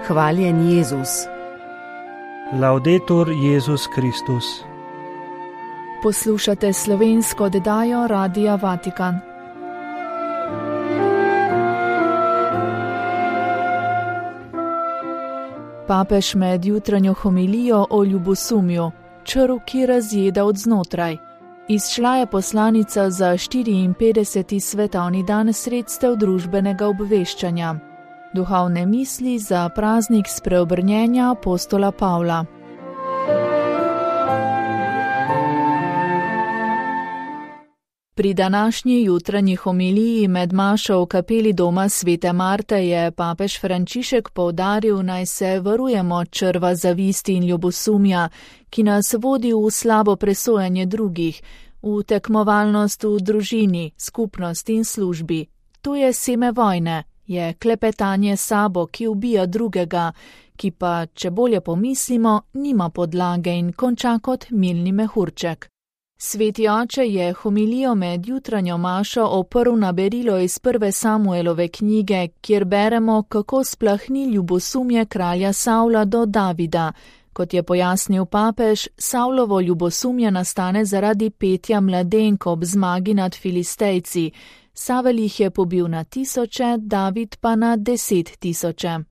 Hvaljen Jezus. Laudetur Jezus Kristus. Poslušate slovensko oddajo Radia Vatikan. Papež med jutranjo homilijo o ljubosumju, črv, ki razjeda od znotraj. Izšla je poslanica za 54. svetovni dan sredstev družbenega obveščanja. Duhovne misli za praznik spreobrnjenja apostola Pavla. Pri današnji jutranji homiliji med mašo v kapeli doma Svete Marte je papež Frančišek poudaril, naj se varujemo črva zavisti in ljubosumja, ki nas vodi v slabo presojanje drugih, v tekmovalnost v družini, skupnosti in službi. To je seme vojne, je klepetanje sabo, ki ubija drugega, ki pa, če bolje pomislimo, nima podlage in konča kot milni mehurček. Sveti oče je homilijo med jutranjo mašo oprl na berilo iz prve Samuelove knjige, kjer beremo, kako splahni ljubosumje kralja Savla do Davida. Kot je pojasnil papež, Savlovo ljubosumje nastane zaradi petja mladenk ob zmagi nad Filistejci. Savel jih je pobil na 1000, David pa na 10 000.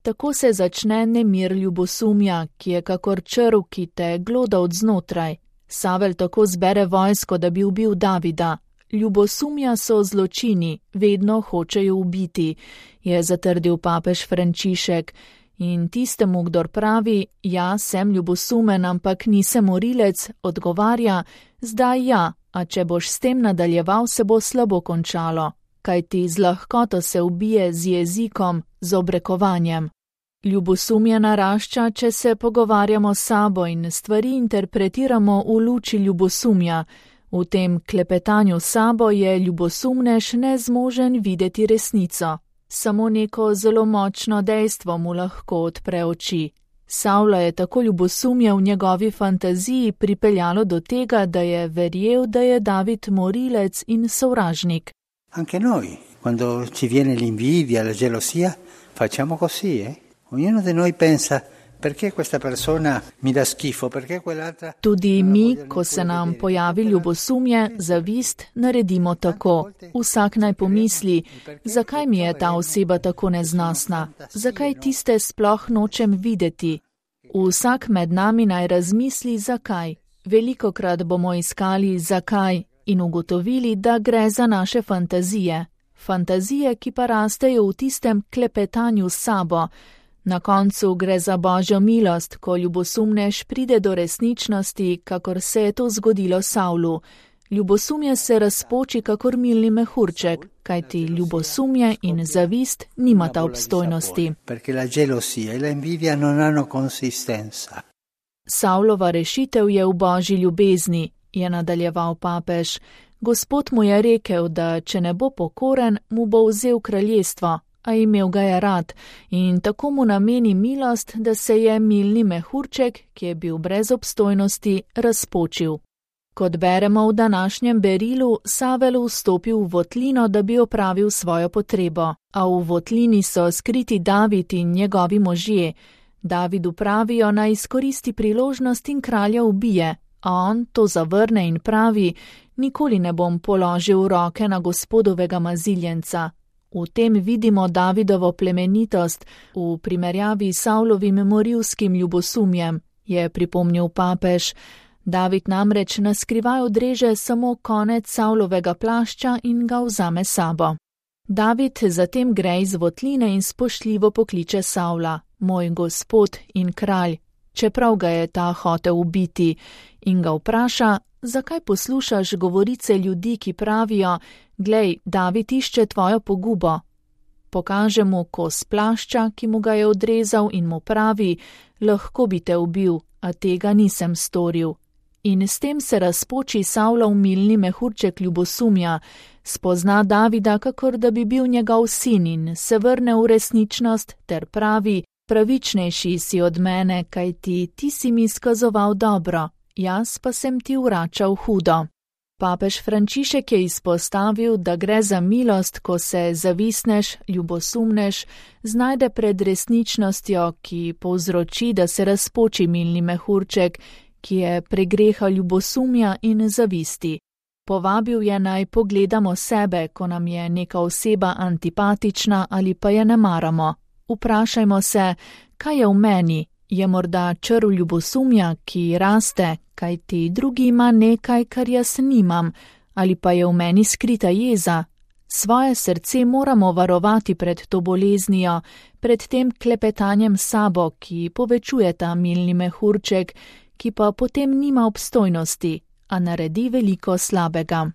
Tako se začne nemir ljubosumja, ki je kakor črv, ki te gloda od znotraj. Savel tako zbere vojsko, da bi ubil Davida. Ljubosumja so zločini, vedno hočejo ubiti, je zatrdil papež Frančišek. In tistemu, kdor pravi, ja, sem ljubosumen, ampak nisem morilec, odgovarja, zdaj ja, a če boš s tem nadaljeval, se bo slabo končalo, kajti z lahkoto se ubije z jezikom, z obrekovanjem. Ljubosumje narašča, če se pogovarjamo s sabo in stvari interpretiramo v luči ljubosumja. V tem klepetanju s sabo je ljubosumnež nezmožen videti resnico. Samo neko zelo močno dejstvo mu lahko odpre oči. Savla je tako ljubosumje v njegovi fantaziji pripeljalo do tega, da je verjel, da je David morilec in sovražnik. Anche noi, quando ci viene l'invidia, la gelosia, facciamo così, Ognuno di noi pensa, perché questa persona mi dà schifo, perché quell'altra... Tudi mi, ko se nam pojavi ljubosumje, zavist, naredimo tako. Vsak naj pomisli, zakaj mi je ta oseba tako neznosna, zakaj tiste sploh nočem videti. Vsak med nami naj razmisli, zakaj. Velikokrat bomo iskali zakaj in ugotovili, da gre za naše fantazije. Fantazije, ki pa rastejo v tistem klepetanju s sabo. Na koncu gre za Božjo milost, ko ljubosumnež pride do resničnosti, kakor se je to zgodilo Savlu. Ljubosumje se razpoči kakor milni mehurček, kajti ljubosumje in zavist nimata obstojnosti. Savlova rešitev je v Božji ljubezni, je nadaljeval papež. Gospod mu je rekel, da če ne bo pokoren, mu bo vzel kraljestvo. A imel ga je rad in tako mu nameni milost, da se je milni mehurček, ki je bil brez obstojnosti, razpočil. Kot beremo v današnjem berilu, Savel vstopil v votlino, da bi opravil svojo potrebo, a v votlini so skriti David in njegovi možje. Davidu pravijo, naj izkoristi priložnost in kralja ubije, a on to zavrne in pravi, nikoli ne bom položil roke na gospodovega maziljenca. V tem vidimo Davidovo plemenitost v primerjavi s Savlovim morilskim ljubosumjem, je pripomnil papež. David namreč naskrivaj odreže samo konec Savlovega plašča in ga vzame sabo. David zatem gre iz votline in spoštljivo pokliče Savla, moj gospod in kralj, čeprav ga je ta hotel ubiti, in ga vpraša, zakaj poslušaš govorice ljudi, ki pravijo, glej, David išče tvojo pogubo. Pokaže mu kos plašča, ki mu ga je odrezal in mu pravi, lahko bi te ubil, a tega nisem storil. In s tem se razpoči Savlov milni mehurček ljubosumja, spozna Davida, kakor da bi bil njegov sin in se vrne v resničnost ter pravi, pravičnejši si od mene, kajti ti si mi izkazoval dobro, jaz pa sem ti vračal hudo. Papež Frančišek je izpostavil, da gre za milost, ko se zavisneš, ljubosumneš, znajde pred resničnostjo, ki povzroči, da se razpoči milni mehurček, ki je pregreha ljubosumja in zavisti. Povabil je naj pogledamo sebe, ko nam je neka oseba antipatična ali pa je ne maramo. Vprašajmo se, kaj je v meni, je morda črv ljubosumja, ki raste, kajti drugi ima nekaj, kar jaz nimam, ali pa je v meni skrita jeza. Svoje srce moramo varovati pred to boleznijo, pred tem klepetanjem s sabo, ki povečuje ta milni mehurček, ki pa potem nima obstojnosti, a naredi veliko slabega.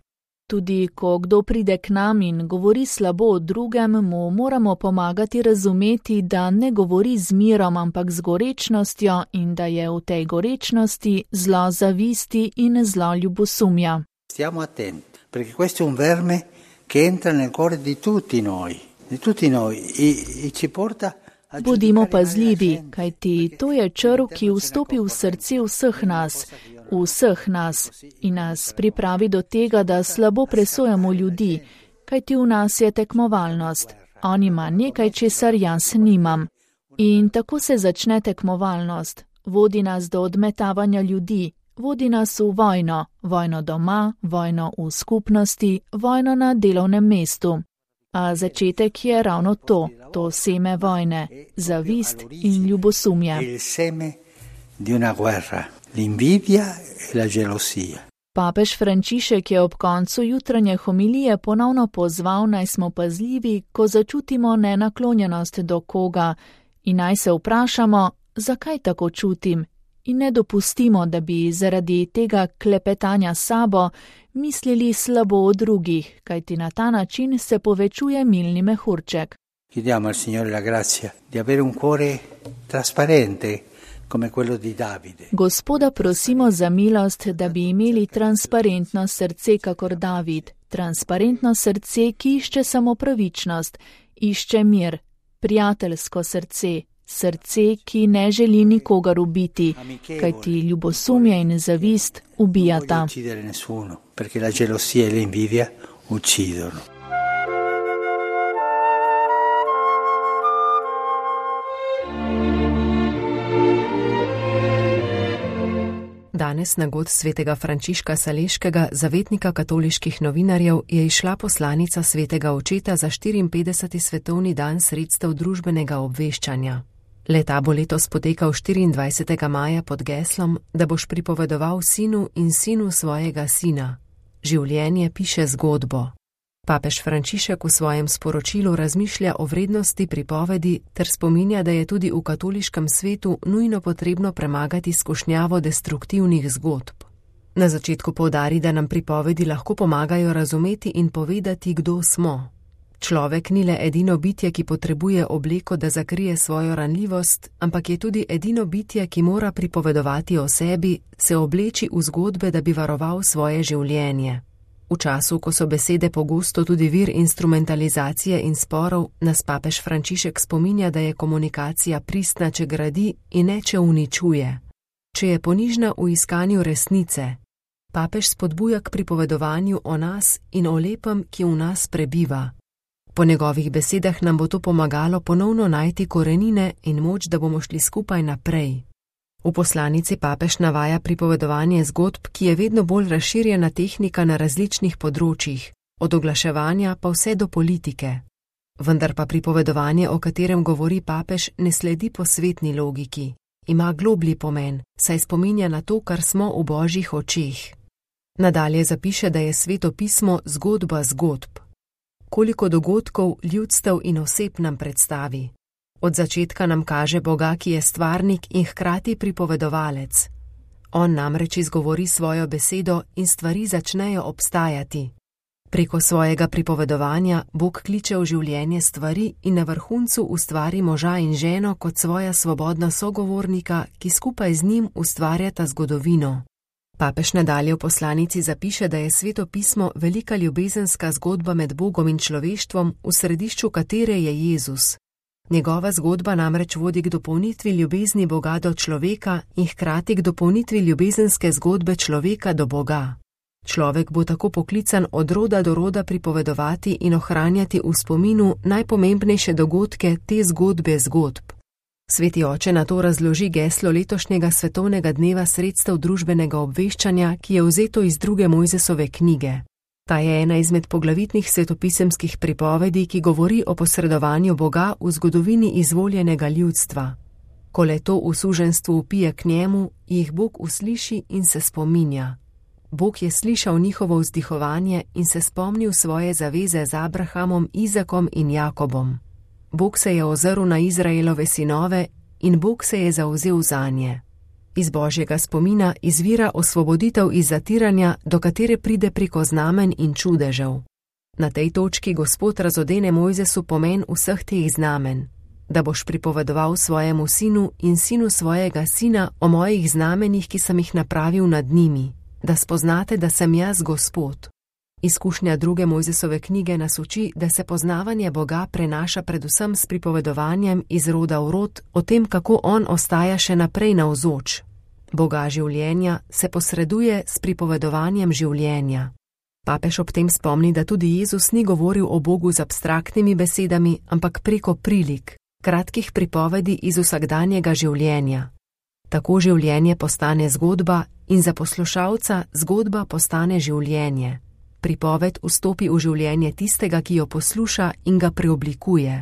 Tudi ko kdo pride k nam in govori slabo o drugem, mu moramo pomagati razumeti, da ne govori z mirom, ampak z gorečnostjo in da je v tej gorečnosti zlo zavisti in zlo ljubosumja. Stiamo attenti, perché questo è un verme che entra nel cuore di tutti noi e ci porta. Bodimo pazljivi, kajti to je črv, ki vstopi v srce vseh nas in nas pripravi do tega, da slabo presojamo ljudi, kajti v nas je tekmovalnost. On ima nekaj, česar jaz nimam. In tako se začne tekmovalnost. Vodi nas do odmetavanja ljudi, vodi nas v vojno, vojno doma, vojno v skupnosti, vojno na delovnem mestu. A začetek je ravno to seme vojne, zavist in ljubosumje. Il seme di una guerra, l'invidia e la gelosia. Papež Frančišek je ob koncu jutranje homilije ponovno pozval, naj smo pazljivi, ko začutimo nenaklonjenost do koga in naj se vprašamo, zakaj tako čutim, in ne dopustimo, da bi zaradi tega klepetanja s sabo mislili slabo o drugih, kajti na ta način se povečuje milni mehurček. Chiediamo al Signore la grazia di avere un cuore trasparente come quello di Davide. Gospoda prosimo za milost, da bi imeli transparentno srce kakor David, transparentno srce, ki išče samo pravičnost, išče mir, prijateljsko srce, srce, ki ne želi nikogar ubiti, kajti ljubosumje in zavist ubijata. Non voglio uccidere nessuno, perché la gelosia e l'invidia uccidono. Danes na god svetega Frančiška Saleškega, zavetnika katoliških novinarjev, je izšla poslanica svetega očeta za 54. svetovni dan sredstev družbenega obveščanja. Le-ta bo letos potekal 24. maja pod geslom, da boš pripovedoval sinu in sinu svojega sina. Življenje piše zgodbo. Papež Frančišek v svojem sporočilu razmišlja o vrednosti pripovedi ter spominja, da je tudi v katoliškem svetu nujno potrebno premagati skušnjavo destruktivnih zgodb. Na začetku poudari, da nam pripovedi lahko pomagajo razumeti in povedati, kdo smo. Človek ni le edino bitje, ki potrebuje obleko, da zakrije svojo ranljivost, ampak je tudi edino bitje, ki mora pripovedovati o sebi, se obleči v zgodbe, da bi varoval svoje življenje. V času, ko so besede pogosto tudi vir instrumentalizacije in sporov, nas papež Frančišek spominja, da je komunikacija pristna, če gradi in ne, če uničuje. Če je ponižna v iskanju resnice. Papež spodbuja k pripovedovanju o nas in o lepem, ki v nas prebiva. Po njegovih besedah nam bo to pomagalo ponovno najti korenine in moč, da bomo šli skupaj naprej. V poslanici papež navaja pripovedovanje zgodb, ki je vedno bolj razširjena tehnika na različnih področjih, od oglaševanja pa vse do politike. Vendar pa pripovedovanje, o katerem govori papež, ne sledi posvetni logiki. Ima globlji pomen, saj spominja na to, kar smo v božjih očeh. Nadalje zapiše, da je Sveto pismo zgodba zgodb. Koliko dogodkov, ljudstev in oseb nam predstavi. Od začetka nam kaže Boga, ki je stvarnik in hkrati pripovedovalec. On namreč izgovori svojo besedo in stvari začnejo obstajati. Preko svojega pripovedovanja Bog kliče v življenje stvari in na vrhuncu ustvari moža in ženo kot svoja svobodna sogovornika, ki skupaj z njim ustvarjata zgodovino. Papež nadalje v poslanici zapiše, da je Sveto pismo velika ljubezenska zgodba med Bogom in človeštvom, v središču katere je Jezus. Njegova zgodba namreč vodi k dopolnitvi ljubezni Boga do človeka in hkrati k dopolnitvi ljubezenske zgodbe človeka do Boga. Človek bo tako poklican od roda do roda pripovedovati in ohranjati v spominu najpomembnejše dogodke te zgodbe zgodb. Sveti oče na to razloži geslo letošnjega svetovnega dneva sredstev družbenega obveščanja, ki je vzeto iz 2. Mojzesove knjige. Ta je ena izmed poglavitnih svetopisemskih pripovedi, ki govori o posredovanju Boga v zgodovini izvoljenega ljudstva. Ko le to v suženstvu vpije k njemu, jih Bog usliši in se spominja. Bog je slišal njihovo vzdihovanje in se spomnil svoje zaveze z Abrahamom, Izakom in Jakobom. Bog se je ozrl na Izraelove sinove in Bog se je zavzel zanje. Iz Božjega spomina izvira osvoboditev iz zatiranja, do katere pride preko znamen in čudežev. Na tej točki Gospod razodene Mojzesu pomen vseh teh znamen, da boš pripovedoval svojemu sinu in sinu svojega sina o mojih znamenjih, ki sem jih napravil nad njimi, da spoznate, da sem jaz Gospod. Izkušnja 2. Mojzesove knjige nas uči, da se poznavanje Boga prenaša predvsem s pripovedovanjem iz roda v rod o tem, kako on ostaja še naprej navzoč. Boga življenja se posreduje s pripovedovanjem življenja. Papež ob tem spomni, da tudi Jezus ni govoril o Bogu z abstraktnimi besedami, ampak preko prilik, kratkih pripovedi iz vsakdanjega življenja. Tako življenje postane zgodba in za poslušalca zgodba postane življenje. Pripoved vstopi v življenje tistega, ki jo posluša in ga preoblikuje.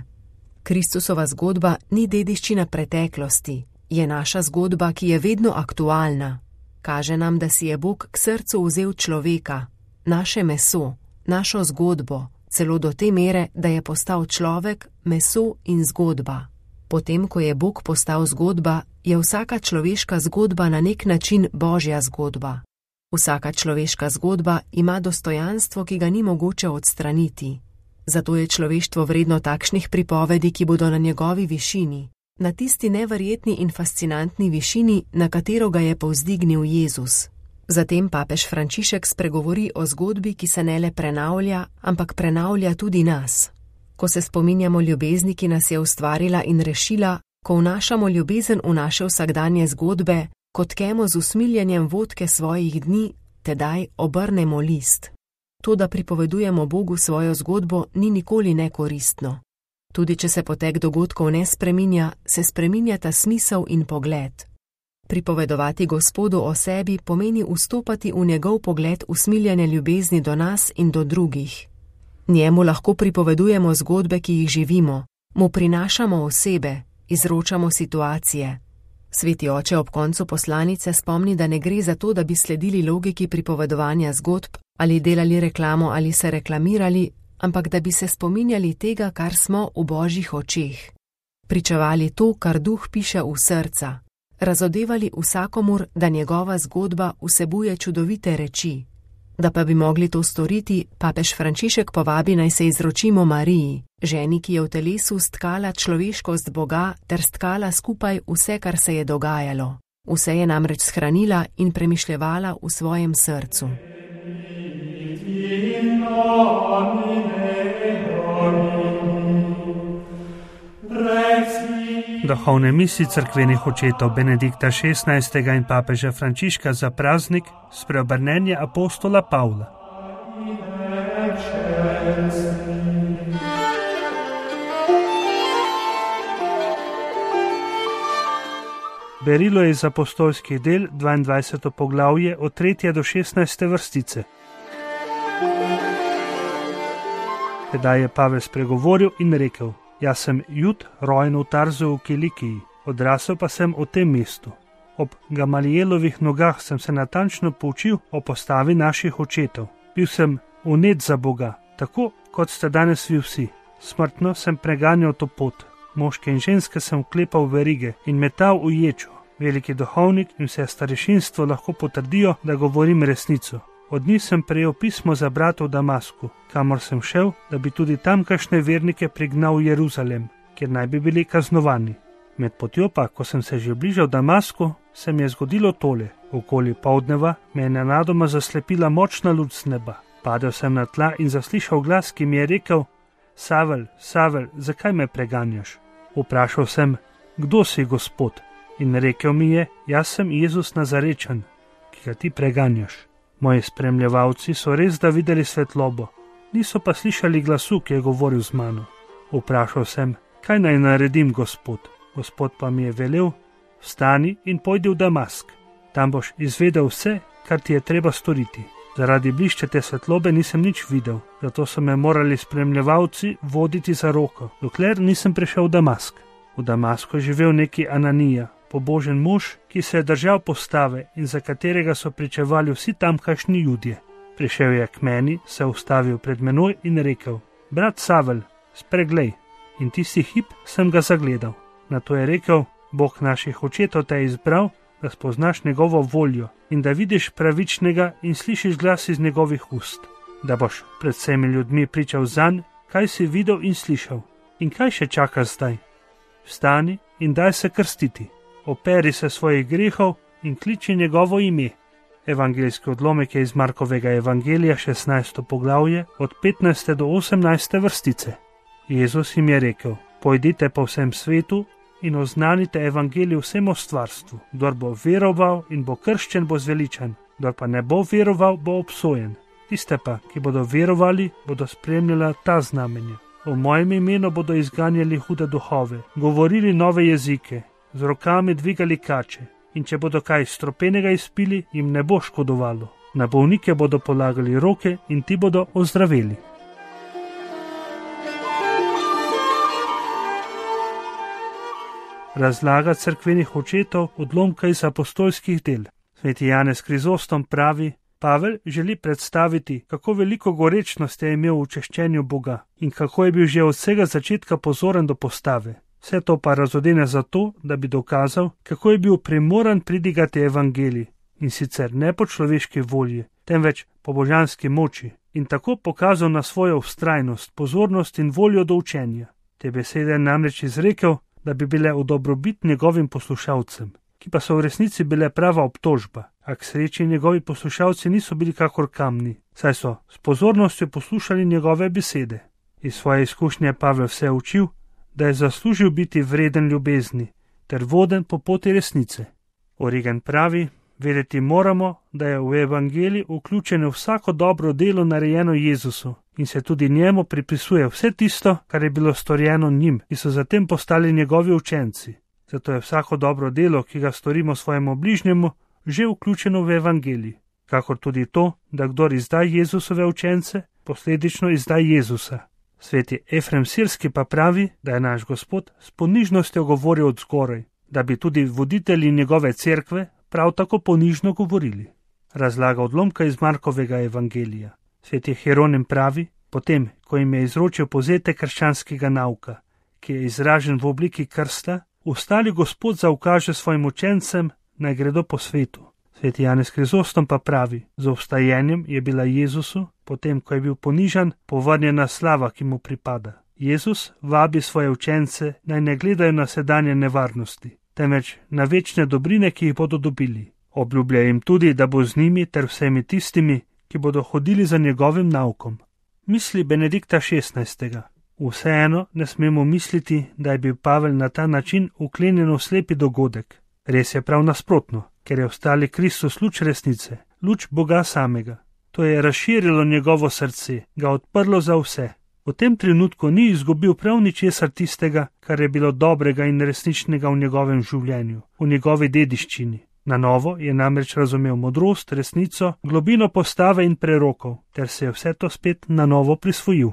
Kristusova zgodba ni dediščina preteklosti, je naša zgodba, ki je vedno aktualna. Kaže nam, da si je Bog k srcu vzel človeka, naše meso, našo zgodbo, celo do te mere, da je postal človek, meso in zgodba. Potem, ko je Bog postal zgodba, je vsaka človeška zgodba na nek način Božja zgodba. Vsaka človeška zgodba ima dostojanstvo, ki ga ni mogoče odstraniti. Zato je človeštvo vredno takšnih pripovedi, ki bodo na njegovi višini, na tisti neverjetni in fascinantni višini, na katero ga je povzdignil Jezus. Zatem papež Frančišek spregovori o zgodbi, ki se ne le prenavlja, ampak prenavlja tudi nas. Ko se spominjamo ljubezni, ki nas je ustvarila in rešila, ko vnašamo ljubezen v naše vsakdanje zgodbe, kot tkemo z usmiljenjem vodke svojih dni, tedaj obrnemo list. To, da pripovedujemo Bogu svojo zgodbo, ni nikoli nekoristno. Tudi če se potek dogodkov ne spreminja, se spreminjata smisel in pogled. Pripovedovati Gospodu o sebi pomeni vstopati v njegov pogled usmiljene ljubezni do nas in do drugih. Njemu lahko pripovedujemo zgodbe, ki jih živimo, mu prinašamo osebe, izročamo situacije. Sveti oče ob koncu poslanice spomni, da ne gre za to, da bi sledili logiki pripovedovanja zgodb ali delali reklamo ali se reklamirali, ampak da bi se spominjali tega, kar smo v Božjih očeh. Pričevali to, kar Duh piše v srca. Razodevali vsakomur, da njegova zgodba vsebuje čudovite reči. Da pa bi mogli to storiti, papež Frančišek povabi, naj se izročimo Mariji, ženi, ki je v telesu stkala človeškost Boga ter stkala skupaj vse, kar se je dogajalo. Vse je namreč shranila in premišljevala v svojem srcu. Duhovne misli cerkvenih očetov Benedikta XVI. In papeža Frančiška za praznik spreobrnenja apostola Pavla. Berilo je iz apostolskih del 22. poglavje od 3. do 16. vrstice. Tedaj je Pavel spregovoril in rekel: Jaz sem Jud, rojen v Tarzu v Kilikiji, odrasel pa sem v tem mestu. Ob Gamalielovih nogah sem se natančno poučil o postavi naših očetov. Bil sem vnet za Boga, tako kot ste danes vi vsi. Smrtno sem preganjal to pot. Moške in ženske sem vklepal v verige in metal v ječo. Veliki duhovnik in vse starešinstvo lahko potrdijo, da govorim resnico. Od njih sem prejel pismo za brata v Damasku, kamor sem šel, da bi tudi tamkajšnje vernike prignal v Jeruzalem, kjer naj bi bili kaznovani. Med potjo pa, ko sem se že bližal Damasku, se mi je zgodilo tole. Okoli poldneva me je nenadoma zaslepila močna luč z neba. Padel sem na tla in zaslišal glas, ki mi je rekel: Savel, Savel, zakaj me preganjaš? Vprašal sem: Kdo si, Gospod? In rekel mi je: Jaz sem Jezus Nazarečan, ki ga ti preganjaš. Moji spremljevalci so res da videli svetlobo, niso pa slišali glasu, ki je govoril z mano. Vprašal sem, kaj naj naredim, Gospod? Gospod pa mi je velel, vstani in pojdi v Damask. Tam boš izvedel vse, kar ti je treba storiti. Zaradi bliščete svetlobe nisem nič videl, zato so me morali spremljevalci voditi za roko, dokler nisem prišel v Damask. V Damasku je živel neki Ananija, pobožen mož, ki se je držal postave in za katerega so pričevali vsi tamkajšnji Judje. Prišel je k meni, se ustavil pred menoj in rekel: Brat Savel, spreglej. In tisti hip sem ga zagledal. Nato je rekel: Bog naših očetov te je izbral, da spoznaš njegovo voljo in da vidiš pravičnega in slišiš glas iz njegovih ust, da boš pred vsemi ljudmi pričal zanj, kaj si videl in slišal. In kaj še čakaš zdaj? Vstani in daj se krstiti, operi se svojih grehov in kliči njegovo ime. Evangeljski odlomek je iz Markovega evangelija 16. poglavje od 15. do 18. vrstice. Jezus jim je rekel: Pojdite po vsem svetu in oznanite evangelij vsemu stvarstvu. Kdor bo veroval in bo krščen, bo zveličan, kdor pa ne bo veroval, bo obsojen. Tiste pa, ki bodo verovali, bodo spremljala ta znamenja. V mojem imenu bodo izganjali hude duhove, govorili nove jezike, z rokami dvigali kače, in če bodo kaj stropenega izpili, jim ne bo škodovalo. Na bolnike bodo polagali roke in ti bodo ozdraveli. Razlaga cerkvenih očetov odlomka iz apostolskih del. Sveti Janez Krizostom pravi: Pavel želi predstaviti, kako veliko gorečnosti je imel v češčenju Boga in kako je bil že od vsega začetka pozoren do postave. Vse to pa razodene zato, da bi dokazal, kako je bil primoran pridigati evangelij, in sicer ne po človeški volji, temveč po božanski moči, in tako pokazal na svojo vztrajnost, pozornost in voljo do učenja. Te besede je namreč izrekel, da bi bile v dobrobit njegovim poslušalcem, ki pa so v resnici bile prava obtožba, a k sreči njegovi poslušalci niso bili kakor kamni, saj so s pozornostjo poslušali njegove besede. Iz svoje izkušnje Pavel vse učil, da je zaslužil biti vreden ljubezni ter voden po poti resnice. Origen pravi: vedeti moramo, da je v evangeliji vključeno vsako dobro delo narejeno Jezusu in se tudi njemu pripisuje vse tisto, kar je bilo storjeno njim, ki so zatem postali njegovi učenci. Zato je vsako dobro delo, ki ga storimo svojemu bližnjemu, že vključeno v evangeliji, kakor tudi to, da kdor izda Jezusove učence, posledično izda Jezusa. Sveti Efrem Sirski pa pravi, da je naš Gospod s ponižnostjo govoril od zgoraj, da bi tudi voditelji njegove cerkve prav tako ponižno govorili. Razlaga odlomka iz Markovega evangelija. Sveti Hieronim pravi: potem, ko jim je izročil povzetek krščanskega nauka, ki je izražen v obliki krsta, ustali Gospod zaukaže svojim učencem, naj gredo po svetu. Sveti Janez Krizostom pa pravi: z obstajenjem je bila Jezusu, potem ko je bil ponižan, povrnjena slava, ki mu pripada. Jezus vabi svoje učence, naj ne gledajo na sedanje nevarnosti, temveč na večne dobrine, ki jih bodo dobili. Obljublja jim tudi, da bo z njimi ter vsemi tistimi, ki bodo hodili za njegovim naukom. Misli Benedikta XVI. Vseeno ne smemo misliti, da je bil Pavel na ta način uklenjen v slepi dogodek. Res je prav nasprotno, ker je ostali Kristus luč resnice, luč Boga samega. To je razširilo njegovo srce, ga odprlo za vse. V tem trenutku ni izgubil prav ničesar tistega, kar je bilo dobrega in resničnega v njegovem življenju, v njegovi dediščini. Na novo je namreč razumel modrost, resnico, globino postave in prerokov, ter se je vse to spet na novo prisvojil.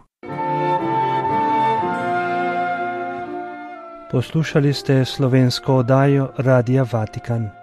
Poslušali ste slovensko oddajo Radia Vatikan.